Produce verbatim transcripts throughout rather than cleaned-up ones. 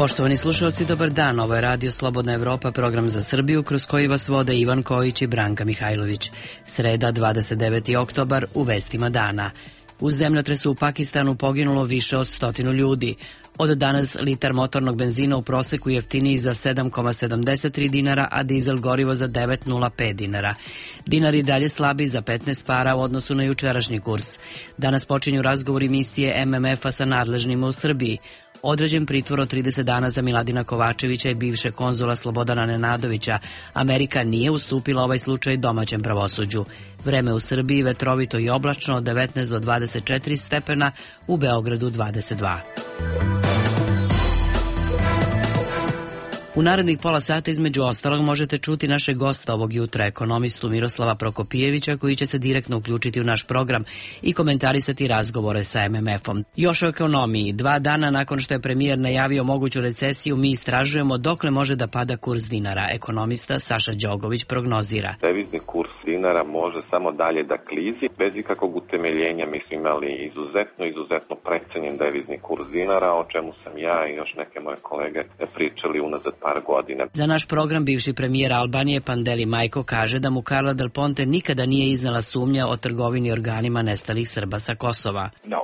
Poštovani slušalci, dobar dan. Ovo je Radio Slobodna Evropa, program za Srbiju, kroz koji vas vode Ivan Kojić i Branka Mihajlović. Sreda, dvadeset deveti oktobar, u vestima dana. U zemljotresu u Pakistanu poginulo više od stotinu ljudi. Od danas litar motornog benzina u proseku jeftiniji za sedam zarez sedamdeset tri dinara, a dizel gorivo za devet zarez nula pet dinara. Dinar i dalje slabi za petnaest para u odnosu na jučerašnji kurs. Danas počinju razgovori misije M M F-a sa nadležnima u Srbiji. Određen pritvor od trideset dana za Miladina Kovačevića i bivšeg konzula Slobodana Nenadovića. Amerika nije ustupila ovaj slučaj domaćem pravosuđu. Vreme u Srbiji vetrovito i oblačno od devetnaest do dvadeset četiri stepena, u Beogradu dvadeset dva. U narednih pola sata između ostalog možete čuti našeg gosta ovog jutra, ekonomistu Miroslava Prokopijevića, koji će se direktno uključiti u naš program i komentarisati razgovore sa M M F-om. Još o ekonomiji. Dva dana nakon što je premijer najavio moguću recesiju, mi istražujemo dokle može da pada kurs dinara. Ekonomista Saša Đogović prognozira. Devizni kurs dinara može samo dalje da klizi, bez ikakvog utemeljenja. Mi smo imali izuzetno, izuzetno precenjen devizni kurs dinara, o čemu sam ja i još neke moje kolege pričali unazad par godina. Za naš program bivši premijer Albanije Pandeli Majko kaže da mu Carla Del Ponte nikada nije iznela sumnja o trgovini organima nestalih Srba sa Kosova. No.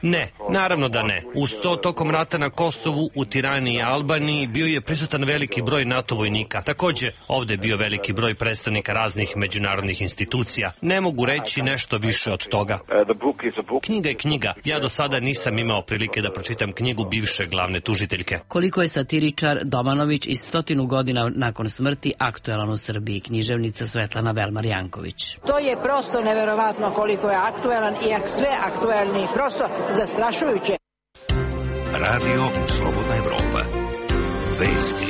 Ne, naravno da ne. Uz to, tokom rata na Kosovu, u Tirani i Albaniji bio je prisutan veliki broj NATO vojnika. Takođe, ovde je bio veliki broj predstavnika raznih međunarodnih institucija. Ne mogu reći nešto više od toga. Knjiga je knjiga. Ja do sada nisam imao prilike da pročitam knjigu bivše glavne tužiteljke. Koliko je satiričar Domanović i stotinu godina nakon smrti aktuelan u Srbiji, književnica Svetlana Velmar-Janković. To je prosto neverovatno koliko je aktuelan i sve aktuelni. Prosto zastrašujuće. Radio Slobodna Evropa. Vesti.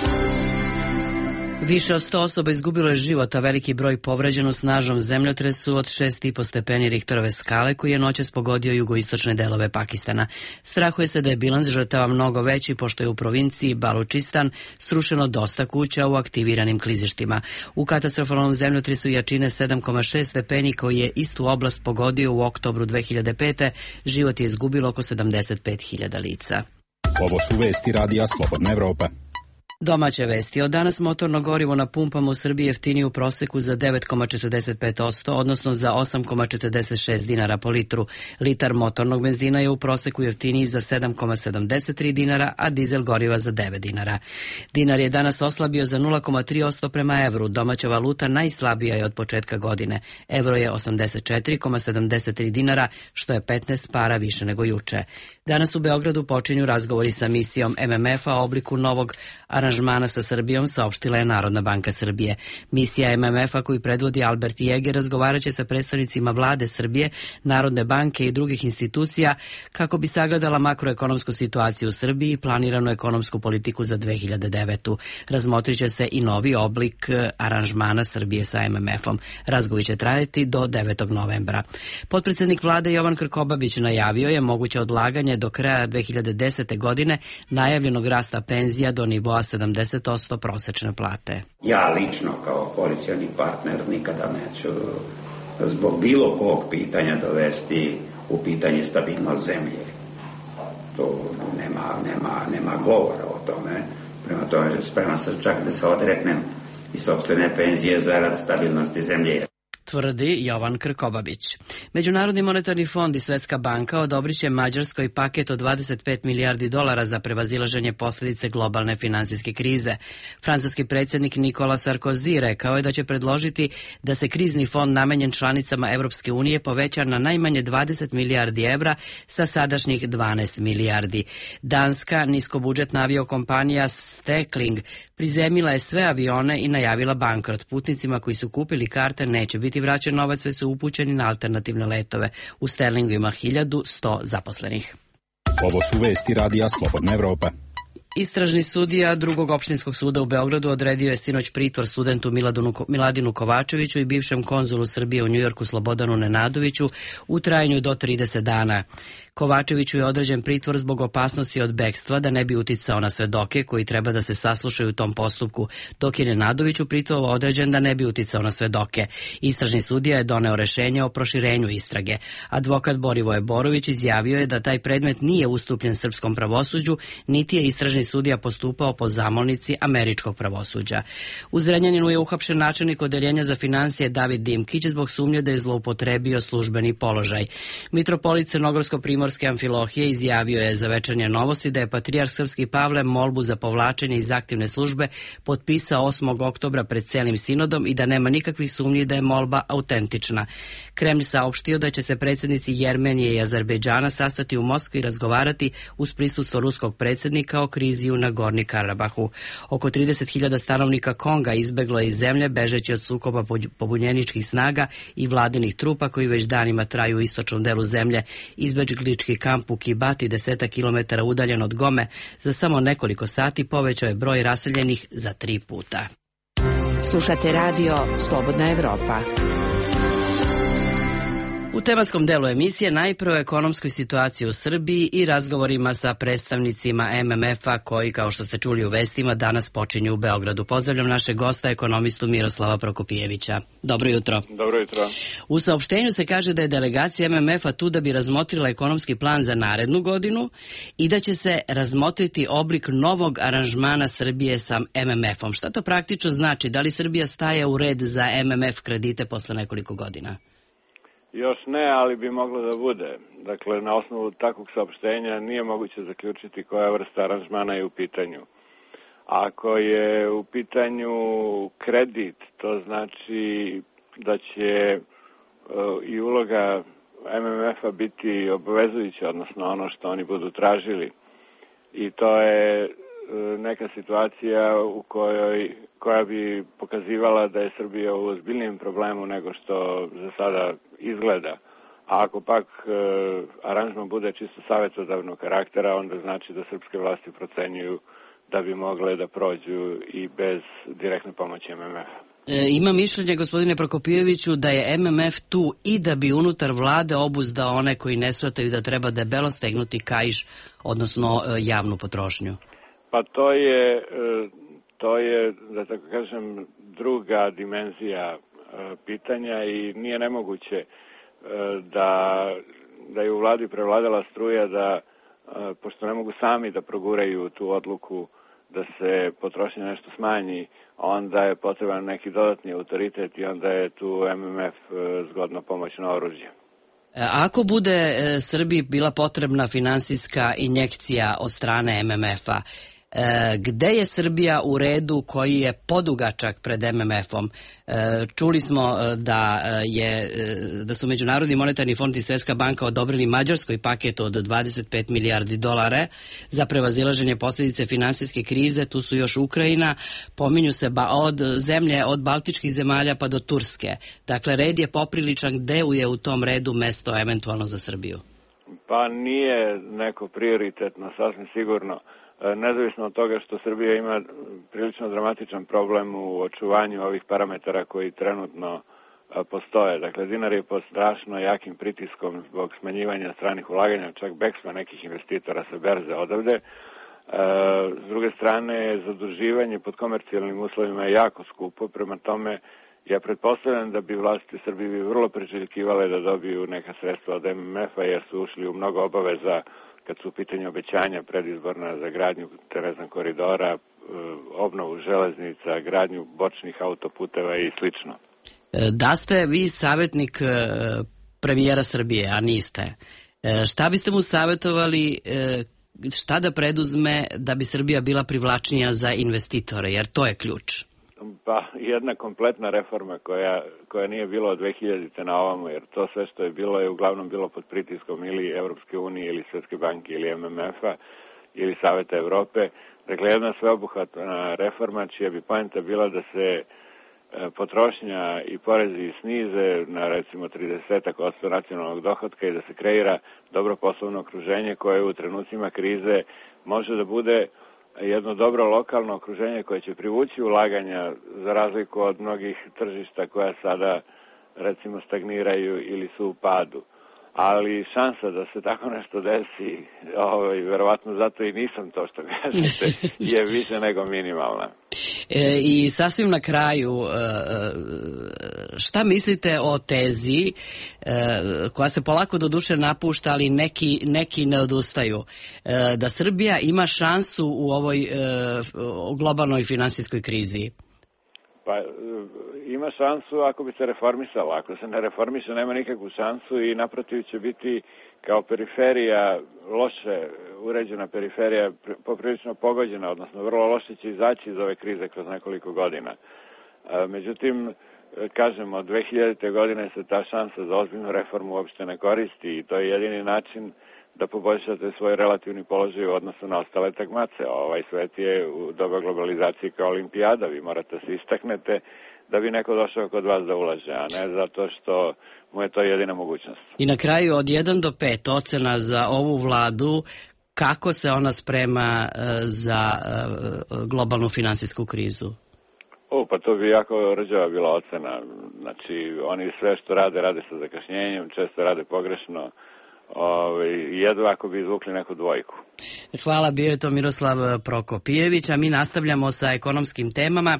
Više od sto osoba izgubilo je život, a veliki broj povređen u snažnom zemljotresu od šest i po stepeni Richterove skale koji je noćas pogodio jugoistočne delove Pakistana. Strahuje se da je bilans žrtava mnogo veći, pošto je u provinciji Balučistan srušeno dosta kuća u aktiviranim klizištima. U katastrofalnom zemljotresu jačine sedam zarez šest stepeni koji je istu oblast pogodio u oktobru dve hiljade pete. život je izgubilo oko sedamdeset pet hiljada lica. Ovo su vesti Radija Slobodna Evropa. Domaće vesti. Od danas motorno gorivo na pumpama u Srbiji jeftinije u proseku za devet zarez četrdeset pet posto, odnosno za osam zarez četrdeset šest dinara po litru. Litar motornog benzina je u proseku jeftiniji za sedam zarez sedamdeset tri dinara, a dizel goriva za devet dinara. Dinar je danas oslabio za nula zarez tri posto prema evru. Domaća valuta najslabija je od početka godine. Evro je osamdeset četiri zarez sedamdeset tri dinara, što je petnaest para više nego juče. Danas u Beogradu počinju razgovori sa misijom M M F-a o obliku novog aranžmana sa Srbijom, saopštila je Narodna banka Srbije. Misija M M F-a koju predvodi Albert Jeger razgovaraće sa predstavnicima vlade Srbije, Narodne banke i drugih institucija kako bi sagledala makroekonomsku situaciju u Srbiji i planiranu ekonomsku politiku za dve hiljade devetu. Razmotriće se i novi oblik aranžmana Srbije sa M M F-om. Razgovor će trajati do devetog novembra. Potpredsednik vlade Jovan Krkobabić najavio je moguće odlaganje do kraja dve hiljade desete. godine najavljenog rasta penzija do nivoa sedamdeset posto prosečne plate. Ja lično kao koalicioni partner nikada neću zbog bilo kog pitanja dovesti u pitanje stabilnost zemlje. To nema, nema, nema govora o tome. Prema tome spreman sam čak da se odreknem i sopstvene penzije zarad stabilnosti zemlje, tvrdi Jovan Krkobabić. Međunarodni monetarni fond i Svetska banka odobriće Mađarskoj paket od dvadeset pet milijardi dolara za prevazilaženje posljedice globalne finansijske krize. Francuski predsjednik Nikola Sarkozy rekao je da će predložiti da se krizni fond namenjen članicama Evropske unije poveća na najmanje dvadeset milijardi evra sa sadašnjih dvanaest milijardi. Danska niskobudžetna aviokompanija Stekling prizemila je sve avione i najavila bankrot. Putnicima koji su kupili karte neće biti vraćen novac, sve su upućeni na alternativne letove. U Sterlingu ima hiljadu sto zaposlenih. Ovo su vesti Radija Slobodna Evropa. Istražni sudija drugog opštinskog suda u Beogradu odredio je sinoć pritvor studentu Miladinu Kovačeviću i bivšem konzulu Srbije u Njujorku Slobodanu Nenadoviću u trajanju do trideset dana. Kovačeviću je određen pritvor zbog opasnosti od bekstva da ne bi uticao na svedoke koji treba da se saslušaju u tom postupku, dok je Nenadoviću pritvor određen da ne bi uticao na svedoke. Istražni sudija je doneo rešenje o proširenju istrage. Advokat Borivoje Borović izjavio je da taj predmet nije ustupljen srpskom pravosuđu, niti je istražni sudija postupao po zamolnici američkog pravosuđa. U Zrenjaninu je uhapšen načelnik odeljenja za finansije David Dimkić zbog sumnje da je zloupotrebio službeni položaj. Mitropolit Crnogorsko-Primorske Amfilohije izjavio je za Večernje novosti da je patrijarh srpski Pavle molbu za povlačenje iz aktivne službe potpisao osmog oktobra pred celim sinodom i da nema nikakvih sumnji da je molba autentična. Kremlj saopštio da će se predsjednici Jermenije i Azerbejdžana sastati u Moskvi i razgovarati uz prisustvo ruskog predsjednika o krizi u Nagorni Karabahu. Oko trideset hiljada stanovnika Konga izbeglo je iz zemlje bežeći od sukoba pobunjeničkih snaga i vladinih trupa koji već danima traju u istočnom delu zemlje. Izbeglički kamp u Kibati, desetak kilometara udaljen od Gome, za samo nekoliko sati povećao je broj raseljenih za tri puta. Slušate radio Slobodna Evropa. U tematskom delu emisije najprve o ekonomskoj situaciji u Srbiji i razgovorima sa predstavnicima M M F-a koji, kao što ste čuli u vestima, danas počinju u Beogradu. Pozdravljam našeg gosta, ekonomistu Miroslava Prokopijevića. Dobro jutro. Dobro jutro. U saopštenju se kaže da je delegacija M M F-a tu da bi razmotrila ekonomski plan za narednu godinu i da će se razmotriti oblik novog aranžmana Srbije sa M M F-om. Šta to praktično znači? Da li Srbija staje u red za M M F kredite posle nekoliko godina? Još ne, ali bi moglo da bude. Dakle, na osnovu takvog saopštenja nije moguće zaključiti koja vrsta aranžmana je u pitanju. Ako je u pitanju kredit, to znači da će uh, i uloga M M F-a biti obavezujuća, odnosno ono što oni budu tražili. I to je uh, neka situacija u kojoj koja bi pokazivala da je Srbija u ozbiljnijem problemu nego što za sada izgleda. A ako pak e, aranžman bude čisto savjetodavnog karaktera, onda znači da srpske vlasti procenjuju da bi mogle da prođu i bez direktne pomoći M M F-a. E, ima mišljenje, gospodine Prokopijeviću, da je M M F tu i da bi unutar vlade obuzdao one koji ne shvataju da treba debelo stegnuti kaiš, odnosno e, javnu potrošnju. Pa to je... E, To je, da tako kažem, druga dimenzija e, pitanja i nije nemoguće e, da, da je u vladi prevladala struja da, e, pošto ne mogu sami da proguraju tu odluku da se potrošnja nešto smanji, onda je potreban neki dodatni autoritet i onda je tu M M F e, zgodno pomoćno oružje. Ako bude e, Srbiji bila potrebna finansijska injekcija od strane M M F-a, E, gde je Srbija u redu koji je podugačak pred M M F-om? E, čuli smo da, je, da su Međunarodni monetarni fond i Svetska banka odobrili Mađarskoj paket od dvadeset pet milijardi dolara za prevazilaženje posljedice finansijske krize. Tu su još Ukrajina, pominju se ba, od zemlje, od baltičkih zemalja pa do Turske. Dakle, red je popriličan. Gde je u tom redu mesto eventualno za Srbiju? Pa nije neko prioritetno, sasvim sigurno. Nezavisno od toga što Srbija ima prilično dramatičan problem u očuvanju ovih parametara koji trenutno postoje. Dakle, dinar je pod strašno jakim pritiskom zbog smanjivanja stranih ulaganja, čak bekstva nekih investitora sa berze odavde. S druge strane, zaduživanje pod komercijalnim uslovima je jako skupo, prema tome ja pretpostavljam da bi vlasti Srbije bi vrlo priželjkivale da dobiju neka sredstva od M M F-a jer su ušli u mnogo obaveza kad su u pitanju obećanja predizborna za gradnju Terezan koridora, obnovu železnica, gradnju bočnih autoputeva i slično. Da ste vi savjetnik premijera Srbije, a niste, šta biste mu savjetovali šta da preduzme da bi Srbija bila privlačnija za investitore, jer to je ključ? Pa jedna kompletna reforma koja, koja nije bila od dve hiljadite na ovamo, jer to sve što je bilo je uglavnom bilo pod pritiskom ili Evropske unije ili Svetske banke ili M M F-a ili Saveta Evrope. Dakle, jedna sveobuhvatna reforma čija bi poenta bila da se potrošnja i porezi snize na recimo trideset posto nacionalnog dohotka i da se kreira dobro poslovno okruženje koje u trenucima krize može da bude jedno dobro lokalno okruženje koje će privući ulaganja za razliku od mnogih tržišta koja sada recimo stagniraju ili su u padu. Ali šansa da se tako nešto desi, ovaj, verovatno zato i nisam to što kažete, je više nego minimalna. E, I sasvim na kraju, šta mislite o tezi koja se polako do duše napušta, ali neki, neki ne odustaju, da Srbija ima šansu u ovoj globalnoj finansijskoj krizi? Pa ima šansu ako bi se reformisala. Ako se ne reformiše, nema nikakvu šansu i naprotiv će biti kao periferija, loše uređena periferija, poprilično pogođena, odnosno vrlo loše će izaći iz ove krize kroz nekoliko godina. Međutim, kažemo, od dve hiljadite. godine se ta šansa za ozbiljnu reformu uopšte ne koristi i to je jedini način da poboljšate svoj relativni položaj u odnosu na ostale takmace. Ovaj svet je u doba globalizacije kao olimpijada, vi morate se istaknete da bi neko došao kod vas da ulaže, a ne zato što mu je to jedina mogućnost. I na kraju od jedan do pet ocena za ovu vladu, kako se ona sprema za globalnu finansijsku krizu? O, pa to bi jako rđava bila ocena. Znači, oni sve što rade, rade sa zakašnjenjem, često rade pogrešno. Ove, jedva ako bi izvukli neku dvojku. Hvala, bio je to Miroslav Prokopijević, a mi nastavljamo sa ekonomskim temama.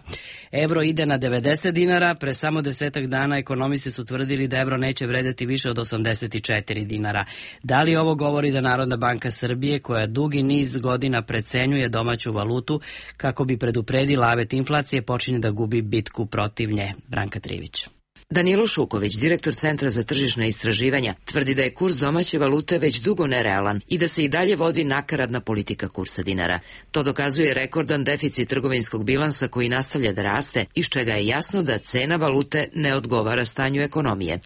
Evro ide na devedeset dinara, pre samo desetak dana ekonomisti su tvrdili da evro neće vredeti više od osamdeset četiri dinara. Da li ovo govori da Narodna banka Srbije, koja dugi niz godina precenjuje domaću valutu kako bi predupredila avet inflacije, počinje da gubi bitku protiv nje? Branka Trivić. Danilo Šuković, direktor Centra za tržišna istraživanja, tvrdi da je kurs domaće valute već dugo nerealan i da se i dalje vodi nakaradna politika kursa dinara. To dokazuje rekordan deficit trgovinskog bilansa koji nastavlja da raste, iz čega je jasno da cena valute ne odgovara stanju ekonomije.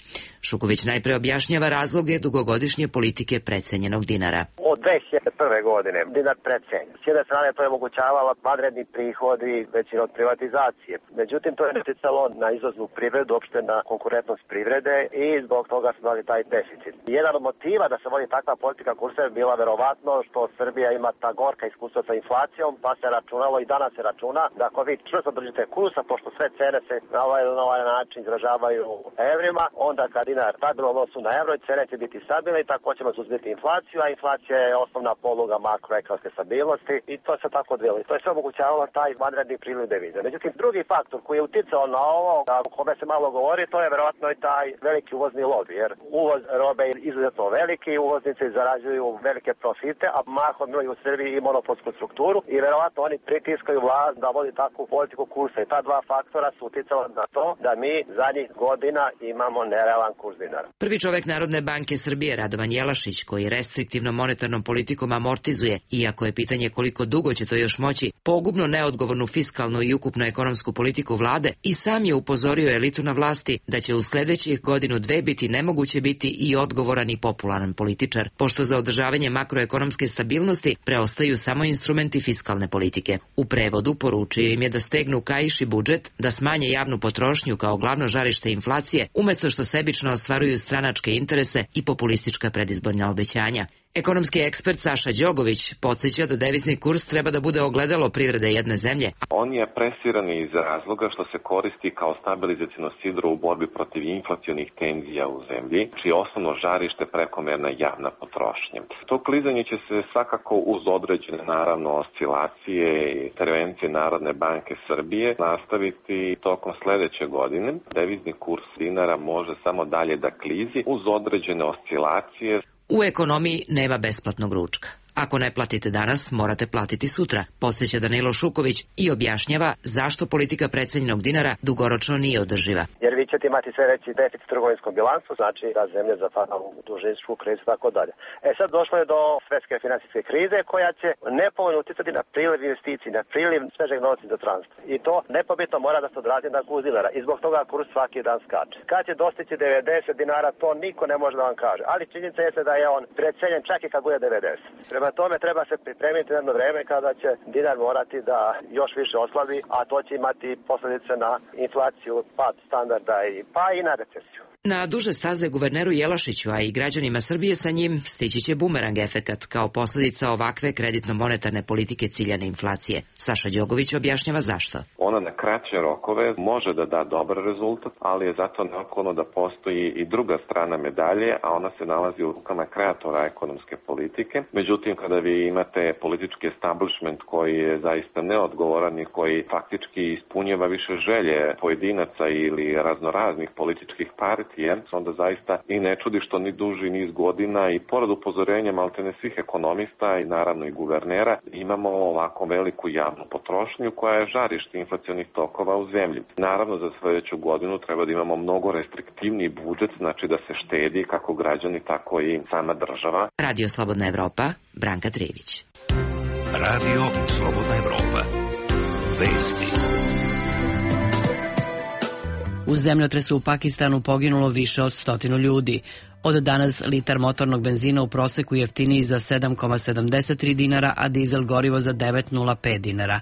Šuković najpre objašnjava razloge dugogodišnje politike precenjenog dinara. Od dve hiljade prve. godine dinar precenjen. S jedne strane to je omogućavalo vanredni prihodi većina od privatizacije. Međutim, to je utjecalo na izvoznu privredu, uopšte na konkurentnost privrede i zbog toga smo imali taj deficit. Jedan od motiva da se vodi takva politika kursa je bila verovatno što Srbija ima ta gorka iskustva sa inflacijom, pa se računalo i danas se računa da ako vi čvrsto držite kursa, pošto sve cene se na ovaj, na ovaj način izražavaju evrima, onda kad dinar stabilno odnosu na evro, cene će biti stabilne i tako ćemo suzbiti inflaciju, a inflacija je osnovna poluga makroekonomske stabilnosti i to se tako odvilo. I to je sve omogućavalo taj vanredni priliv devize. Međutim, drugi faktor koji je uticao na ovo, o kome se malo govori, to je verovatno i taj veliki uvozni lobby, jer uvoz robe je izuzetno veliki, uvoznici zarađuju velike profite, a mahom imaju u Srbiji i monopolsku strukturu i verovatno oni pritiskaju vlast da vodi takvu politiku kursa. I ta dva faktora su uticala na to da mi zadnjih godina imamo nerealan kurs dinara. Prvi čovek Narodne banke Srbije, Radovan Jelašić, koji restriktivnom monetarnom politikom amortizuje, iako je pitanje koliko dugo će to još moći, pogubno neodgovornu fiskalnu i ukupnu ekonomsku politiku vlade, i sam je upozorio elitu na vlasti da će u sledećih godinu dve biti nemoguće biti i odgovoran i popularan političar, pošto za održavanje makroekonomske stabilnosti preostaju samo instrumenti fiskalne politike. U prevodu poručio im je da stegnu kaiš i budžet, da smanje javnu potrošnju kao glavno žarište inflacije, umesto što sebično ostvaruju stranačke interese i populistička predizborna obećanja. Ekonomski ekspert Saša Đogović podsjeća da devizni kurs treba da bude ogledalo privrede jedne zemlje. On je presiran iz razloga što se koristi kao stabilizacijno sidro u borbi protiv inflacionih tenzija u zemlji, čije osnovno žarište prekomerna javna potrošnja. To klizanje će se svakako uz određene, naravno, oscilacije i intervencije Narodne banke Srbije nastaviti tokom sledeće godine. Devizni kurs dinara može samo dalje da klizi uz određene oscilacije. U ekonomiji nema besplatnog ručka. Ako ne platite danas, morate platiti sutra, podsjeća Danilo Šuković i objašnjava zašto politika precenjenog dinara dugoročno nije održiva. Jer vi ćete imati sve veći deficit trgovinskom bilansu, znači da zemlje zapada u dužničku krizu i tako dalje. E sad došlo je do svetske finansijske krize koja će nepovoljno uticati na priliv investicij, na priliv svežeg novca za transport. I to nepobitno mora da se odrazi na kurs dinara i zbog toga kurs svaki dan skače. Kad će dostići devedeset dinara, to niko ne može da vam kaže, ali činjenica je da je on precenjen čak i kad bude devedeset. Prema tome treba se pripremiti na jedno vreme kada će dinar morati da još više oslabi, a to će imati posljedice na inflaciju, pad standarda i pa i na recesiju. Na duže staze guverneru Jelašiću, a i građanima Srbije sa njim, stići će bumerang efekat kao posljedica ovakve kreditno-monetarne politike ciljane inflacije. Saša Đogović objašnjava zašto. Ona na kraće rokove može da da dobar rezultat, ali je zato neophodno da postoji i druga strana medalje, a ona se nalazi u rukama kreatora ekonomske politike. Međutim, kada vi imate politički establishment koji je zaista neodgovoran i koji faktički ispunjava više želje pojedinaca ili raznoraznih političkih partija, onda zaista i ne čudi što ni duži niz godina i pored upozorenja maltene svih ekonomista i naravno i guvernera imamo ovako veliku javnu potrošnju koja je žarište inflacionih tokova u zemlji. Naravno za sljedeću godinu treba da imamo mnogo restriktivniji budžet, znači da se štedi kako građani tako i sama država. Radio Slobodna Evropa, Branka Trijević. Radio Slobodna Evropa. Vesti. U zemljotresu u Pakistanu poginulo više od stotinu ljudi. Od danas litar motornog benzina u proseku jeftiniji za sedam zarez sedamdeset tri dinara, a dizel gorivo za devet zarez nula pet dinara.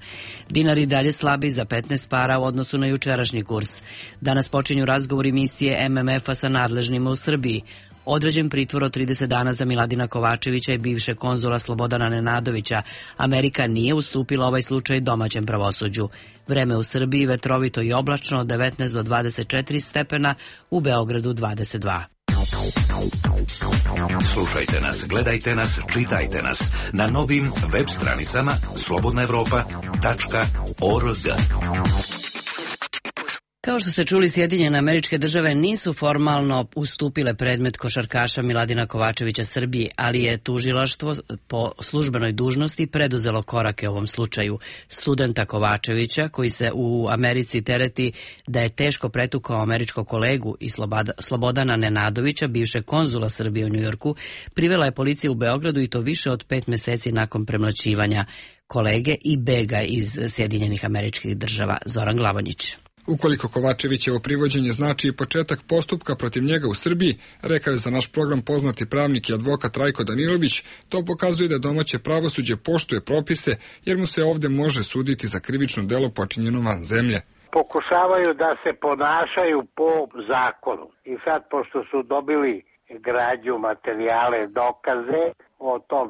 Dinar i dalje slabi za petnaest para u odnosu na jučerašnji kurs. Danas počinju razgovori misije M M F-a sa nadležnima u Srbiji. Određen pritvor od trideset dana za Miladina Kovačevića i bivšeg konzula Slobodana Nenadovića. Amerika nije ustupila ovaj slučaj domaćem pravosuđu. Vreme u Srbiji vetrovito i oblačno od devetnaest do dvadeset četiri stepena, u Beogradu dvadeset dva. Slušajte nas, gledajte nas, čitajte nas na novim web stranicama slobodna evropa tačka org. Kao što ste čuli, Sjedinjene Američke Države nisu formalno ustupile predmet košarkaša Miladina Kovačevića Srbiji, ali je tužilaštvo po službenoj dužnosti preduzelo korake u ovom slučaju. Studenta Kovačevića, koji se u Americi tereti da je teško pretukao američkog kolegu i Slobodana Nenadovića, bivšeg konzula Srbije u Njujorku, privela je policija u Beogradu i to više od pet meseci nakon premlaćivanja kolege i bega iz Sjedinjenih Američkih Država. Zoran Glavonjić. Ukoliko Kovačevićevo privođenje znači i početak postupka protiv njega u Srbiji, rekao je za naš program poznati pravnik i advokat Rajko Danilović, to pokazuje da domaće pravosuđe poštuje propise, jer mu se ovde može suditi za krivično delo počinjeno van zemlje. Pokušavaju da se ponašaju po zakonu. I sad, pošto su dobili građu, materijale, dokaze o tom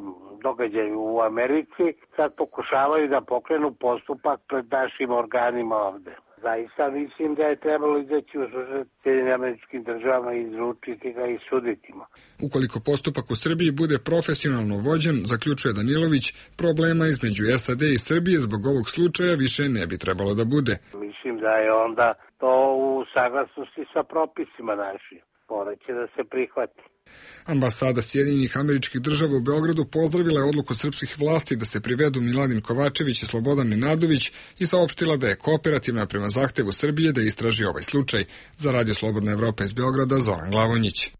događaju u Americi, sad pokušavaju da pokrenu postupak pred našim organima ovde. Zaista mislim da je trebalo izaći u susret Sjedinjenim Američkim Državama i izručiti ga i suditi. Ukoliko postupak u Srbiji bude profesionalno vođen, zaključuje Danilović, problema između S A D i Srbije zbog ovog slučaja više ne bi trebalo da bude. Mislim da je onda to u saglasnosti sa propisima našim. Moraće da se prihvati. Ambasada Sjedinjenih Američkih Država u Beogradu pozdravila je odluku srpskih vlasti da se privedu Miladin Kovačević i Slobodan Nenadović i saopštila da je kooperativna prema zahtevu Srbije da istraži ovaj slučaj. Za Radio Slobodna Evropa iz Beograda, Zoran Glavonjić.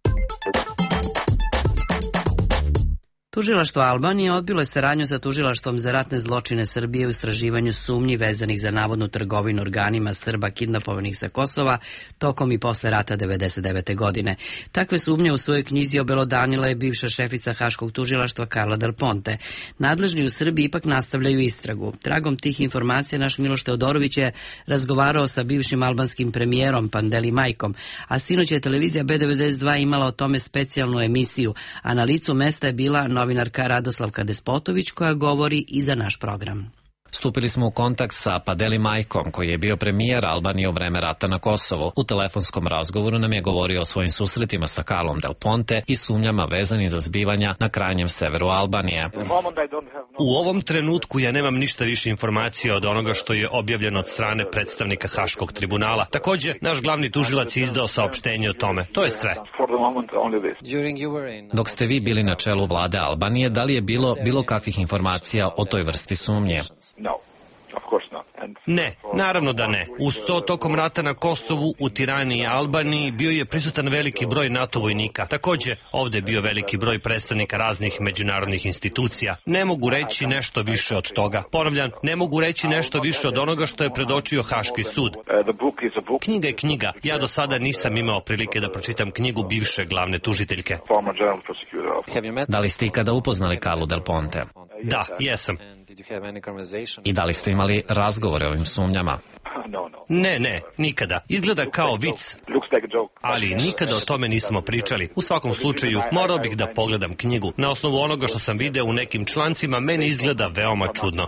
Tužilaštvo Albanije odbilo je saradnju sa Tužilaštvom za ratne zločine Srbije u istraživanju sumnji vezanih za navodnu trgovinu organima Srba kidnapovanih sa Kosova tokom i posle rata devedeset devete. godine. Takve sumnje u svojoj knjizi obelodanila je bivša šefica Haškog tužilaštva Carla Del Ponte. Nadležni u Srbiji ipak nastavljaju istragu. Tragom tih informacija naš Miloš Teodorović je razgovarao sa bivšim albanskim premijerom Pandeli Majkom, a sinoć je televizija B devedeset dva imala o tome specijalnu emisiju, a na licu mesta je bila novinarka Radoslavka Despotović koja govori i za naš program. Stupili smo u kontakt sa Pandeli Majkom, koji je bio premijer Albanije u vreme rata na Kosovu. U telefonskom razgovoru nam je govorio o svojim susretima sa Carlom Del Ponte i sumnjama vezanim za zbivanja na krajnjem severu Albanije. U ovom trenutku ja nemam ništa više informacija od onoga što je objavljeno od strane predstavnika Haškog tribunala. Također, naš glavni tužilac je izdao saopštenje o tome. To je sve. Dok ste vi bili na čelu vlade Albanije, da li je bilo bilo kakvih informacija o toj vrsti sumnje? Ne, naravno da ne. Uz to, tokom rata na Kosovu, u Tirani i Albaniji bio je prisutan veliki broj NATO vojnika. Također, ovdje je bio veliki broj predstavnika raznih međunarodnih institucija. Ne mogu reći nešto više od toga. Ponavljam, ne mogu reći nešto više od onoga što je predočio Haški sud. Knjiga je knjiga. Ja do sada nisam imao prilike da pročitam knjigu bivše glavne tužiteljke. Da li ste ikada upoznali Carlu Del Ponte? Da, jesam. I da li ste imali razgovore o ovim sumnjama? Ne, ne, nikada. Izgleda kao vic, ali nikada o tome nismo pričali. U svakom slučaju, morao bih da pogledam knjigu. Na osnovu onoga što sam video u nekim člancima, meni izgleda veoma čudno.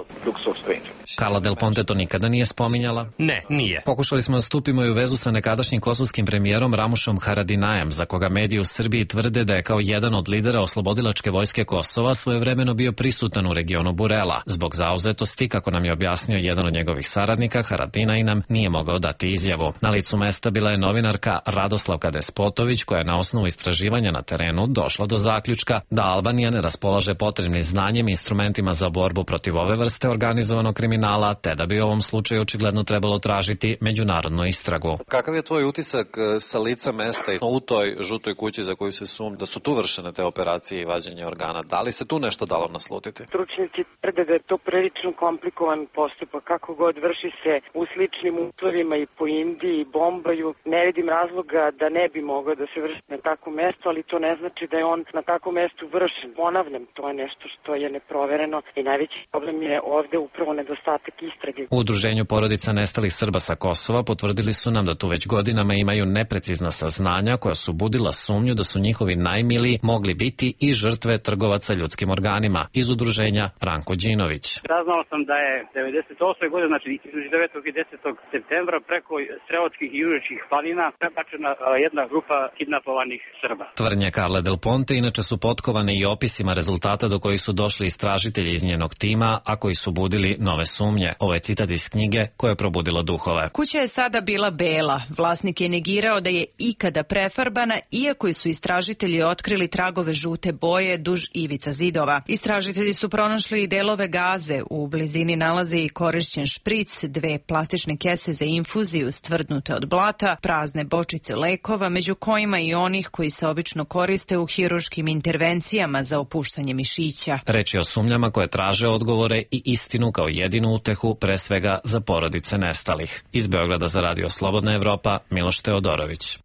Carla Del Ponte to nikada nije spominjala? Ne, nije. Pokušali smo da stupimo i u vezu sa nekadašnjim kosovskim premijerom Ramušom Haradinajem, za koga mediji u Srbiji tvrde da je kao jedan od lidera oslobodilačke vojske Kosova svojevremeno bio prisutan u regionu Burela. Zbog zauzetosti, kako nam je objasnio jedan od njegovih saradnika, Haradinaj nam nije mogao dati izjavu. Na licu mesta bila je novinarka Radoslavka Despotović, koja je na osnovu istraživanja na terenu došla do zaključka da Albanija ne raspolaže potrebnim znanjem i instrumentima za borbu protiv ove vrste organizovanog kriminala, te da bi u ovom slučaju očigledno trebalo tražiti međunarodnu istragu. Kakav je tvoj utisak sa lica mesta u toj žutoj kući za koju se sumnja da su tu vršene te operacije i vađenje organa? Da li se tu nešto dalo naslutiti? Stručnjaci tvrde da je to prilično komplikovan postupak. Kako god vrši se u sličnim uslovima i po Indiji i bombaju, ne vidim razloga da ne bi mogao da se vrši na takvo mesto, ali to ne znači da je on na takvom mestu vršen. Ponavljam, to je nešto što je neprovereno i najveći problem je ovde upravo nedostatak istrage. U udruženju porodica nestalih Srba sa Kosova potvrdili su nam da tu već godinama imaju neprecizna saznanja koja su budila sumnju da su njihovi najmiliji mogli biti i žrtve trgovaca ljudskim organima. Iz udruženja Ranko Đinović. Saznao sam da je devedeset osme godine, znači između devetog i desetog septembra, preko Sreotskih i Južničkih planina prebačena jedna grupa kidnapovanih Srba. Tvrdnje Carle Del Ponte inače su potkovane i opisima rezultata do kojih su došli istražitelji iz njenog tima, a koji su budili nove sumnje. Ovo je citat iz knjige koja je probudila duhove. Kuća je sada bila bela. Vlasnik je negirao da je ikada prefarbana, iako su istražitelji otkrili tragove žute boje duž ivica zidova. Istražitelji su pronašli i delove gaze. U blizini nalaze i korišćen špric, dve plastične kese za infuziju stvrdnute od blata, prazne bočice lekova, među kojima i onih koji se obično koriste u hiruškim intervencijama za opuštanje mišića. Reč je o sumnjama koje traže odgovore i istinu kao jedinu utehu, pre svega za porodice nestalih. Iz Beograda za Radio Slobodna Evropa, Miloš Teodorović.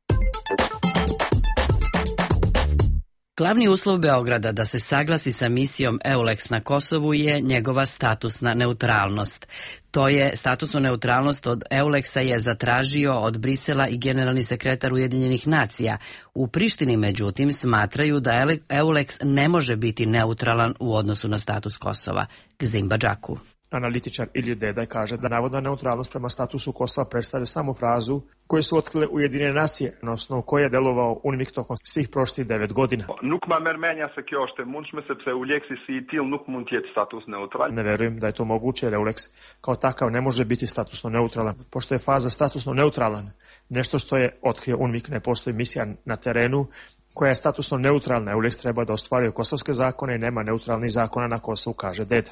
Glavni uslov Beograda da se saglasi sa misijom EULEX na Kosovu je njegova statusna neutralnost. To je statusnu neutralnost od EULEX-a je zatražio od Brisela i generalni sekretar Ujedinjenih nacija. U Prištini, međutim, smatraju da EULEX ne može biti neutralan u odnosu na status Kosova. Gzim Badžaku. Analitičar Ilija Dedaj kaže da navodna neutralnost prema statusu Kosova predstavlja samo frazu koju su otkrile Ujedinjene nacije, na osnovu koje je delovao UNMIK tokom svih prošlih devet godina. Ne verujem da je to moguće jer EULEX kao takav ne može biti statusno neutralan, pošto je faza statusno neutralan. Nešto što je otkrio UNMIK, ne postoji misija na terenu koja je statusno neutralna. EULEX treba da ostvaruje kosovske zakone i nema neutralnih zakona na Kosovu, kaže Deda.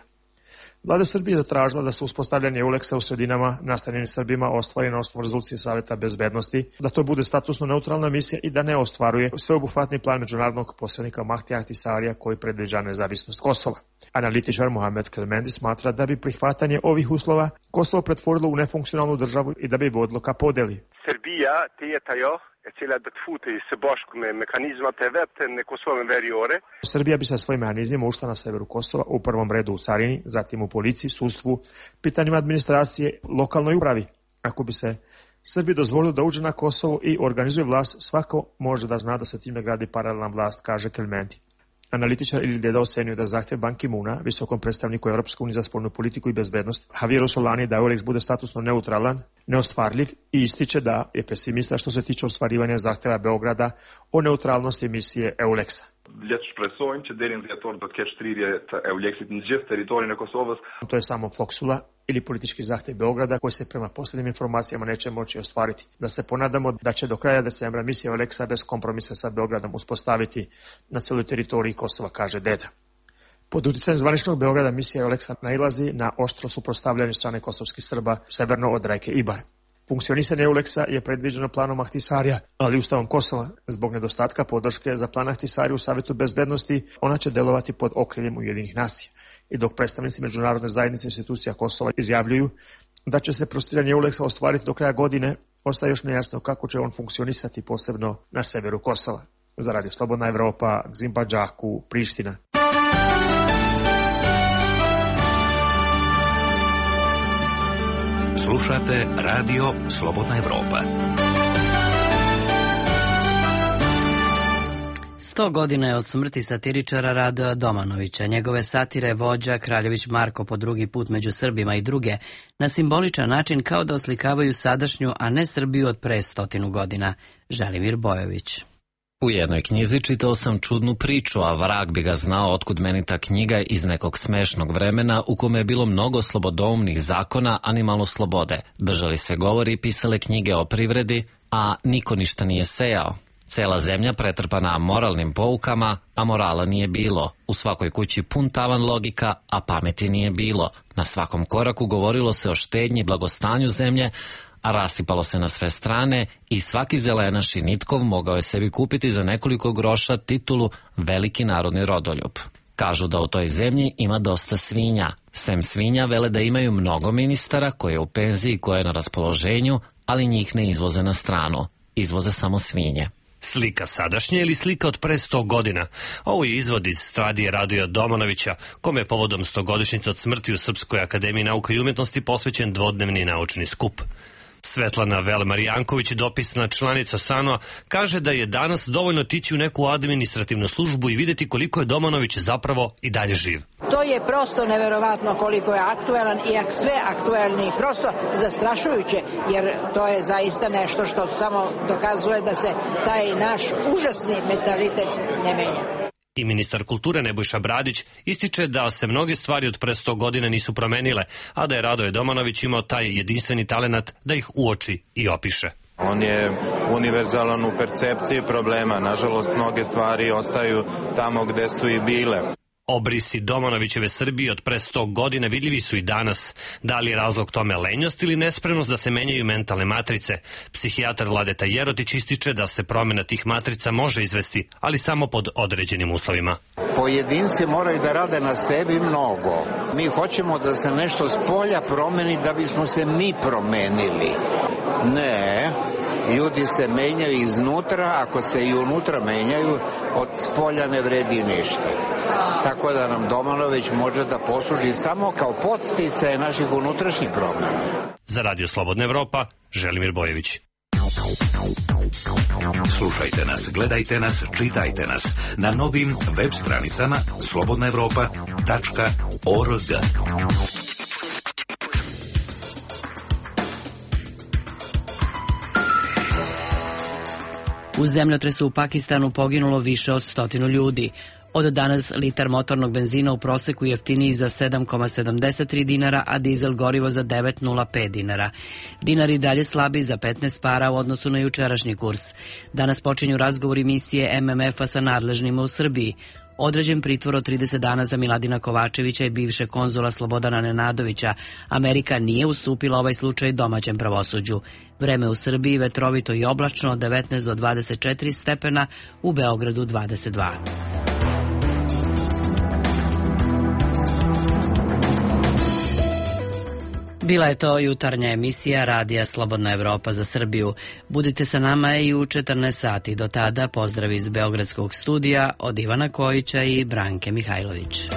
Vlada Srbije je zatražila da se uspostavljanje EULEX-a u sredinama nastanjenim Srbima ostvari na osnovu rezolucije Saveta bezbednosti, da to bude statusno neutralna misija i da ne ostvaruje sveobuhvatni plan međunarodnog posrednika Mahdi Ahtisarija koji predviđa nezavisnost Kosova. Analitičar Mohamed Kelmendi smatra da bi prihvatanje ovih uslova Kosovo pretvorilo u nefunkcionalnu državu i da bi vodilo ka podeli. Srbija tetajo e cela da tfuti se boškome mehanizma te vete ne Kosovem veriore. Srbija bi sa svojim mehanizmima ušla na severu Kosova, u prvom redu u carini, zatim u policiji, sudstvu, pitanjima administracije, lokalnoj upravi. Ako bi se Srbiji dozvolilo da uđe na Kosovo i organizuje vlast, svako može da zna da se time gradi paralelna vlast, kaže Kelmendi. Analitičar Ilija Deda ocenio da zahtjev Ban Ki-moona, visokom predstavniku Europske unije za spoljnu politiku i bezbednost, Javieru Solani da EULEX bude statusno neutralan, neostvarljiv i ističe da je pesimista što se tiče ostvarivanja zahtjeva Beograda o neutralnosti misije EULEX-a. To je samo floksula ili politički zahtjev Beograda koji se prema posljednjim informacijama neće moći ostvariti. Da se ponadamo da će do kraja decembra misija EULEX-a bez kompromisa sa Beogradom uspostaviti na cijeloj teritoriji Kosova, kaže Deda. Pod utjecajem zvaničnog Beograda misija EULEX-a nailazi na oštro suprotstavljanje strane kosovskih Srba severno od reke Ibar. Funkcionisanje EULEX-a je predviđeno planom Ahtisarija, ali ustavom Kosova. Zbog nedostatka podrške za plan Ahtisarija u Savetu bezbednosti, ona će delovati pod okriljem Ujedinjenih nacija. I dok predstavnici međunarodne zajednice institucija Kosova izjavljuju da će se prostiranje EULEX-a ostvariti do kraja godine, ostaje još nejasno kako će on funkcionisati posebno na severu Kosova. Za Radio Slobodna Evropa, Gzim Badžaku, Priština. Slušate Radio Slobodna Evropa. Sto godina je od smrti satiričara Radoja Domanovića. Njegove satire vođa Kraljević Marko po drugi put među Srbima i druge na simboličan način kao da oslikavaju sadašnju, a ne Srbiju od pre stotinu godina. Želimir Bojović. U jednoj knjizi čitao sam čudnu priču, a vrag bi ga znao otkud meni ta knjiga iz nekog smešnog vremena u kome je bilo mnogo slobodoumnih zakona, a ni malo slobode. Držali se govori i pisale knjige o privredi, a niko ništa nije sejao. Cela zemlja pretrpana moralnim poukama, a morala nije bilo. U svakoj kući pun tavan logika, a pameti nije bilo. Na svakom koraku govorilo se o štednji i blagostanju zemlje, a rasipalo se na sve strane i svaki zelenaš i nitkov mogao je sebi kupiti za nekoliko groša titulu veliki narodni rodoljub. Kažu da u toj zemlji ima dosta svinja. Sem svinja vele da imaju mnogo ministara koje je u penziji i koje je na raspoloženju, ali njih ne izvoze na stranu. Izvoze samo svinje. Slika sadašnje ili slika od pre sto godina? Ovo je izvod iz Stradije Radoja Domanovića, kome je povodom stogodišnjice od smrti u Srpskoj akademiji nauka i umjetnosti posvećen dvodnevni naučni skup. Svetlana Velemarijanković, dopisna članica S A N O-a, kaže da je danas dovoljno tići u neku administrativnu službu i vidjeti koliko je Domanović zapravo i dalje živ. To je prosto neverovatno koliko je aktuelan i sve aktuelni, prosto zastrašujuće, jer to je zaista nešto što samo dokazuje da se taj naš užasni mentalitet ne menja. I ministar kulture Nebojša Bradić ističe da se mnoge stvari od pre sto godina nisu promenile, a da je Radoje Domanović imao taj jedinstveni talenat da ih uoči i opiše. On je univerzalan u percepciji problema. Nažalost, mnoge stvari ostaju tamo gde su i bile. Obrisi Domanovićeve Srbije od pre sto godina vidljivi su i danas. Da li je razlog tome lenjost ili nespremnost da se menjaju mentalne matrice? Psihijatar Vladeta Jerotić ističe da se promjena tih matrica može izvesti, ali samo pod određenim uslovima. Pojedinci moraju da rade na sebi mnogo. Mi hoćemo da se nešto s polja promeni da bismo se mi promenili. Ne, ljudi se menjaju iznutra, ako se i unutra menjaju, od spolja ne vredi ništa. Tako da nam Domanović može da posluži samo kao podsticaj naših unutrašnjih promjena. Za Radio Slobodna Evropa, Želimir Bojević. Slušajte nas, gledajte nas, čitajte nas na novim web stranicama slobodna evropa tačka org. U zemljotresu u Pakistanu poginulo više od stotinu ljudi. Od danas litar motornog benzina u proseku jeftiniji za sedam zarez sedamdeset tri dinara, a dizel gorivo za devet zarez nula pet dinara. Dinar i dalje slabi za petnaest para u odnosu na jučerašnji kurs. Danas počinju razgovori misije M M F-a sa nadležnima u Srbiji. Određen pritvor od trideset dana za Miladina Kovačevića i bivše konzula Slobodana Nenadovića. Amerika nije ustupila ovaj slučaj domaćem pravosuđu. Vreme u Srbiji vetrovito i oblačno od devetnaest do dvadeset četiri stepena, u Beogradu dvadeset dva. Bila je to jutarnja emisija Radija Slobodna Evropa za Srbiju. Budite sa nama i u četrnaest sati. Do tada pozdrav iz Beogradskog studija od Ivana Kojića i Branke Mihajlović.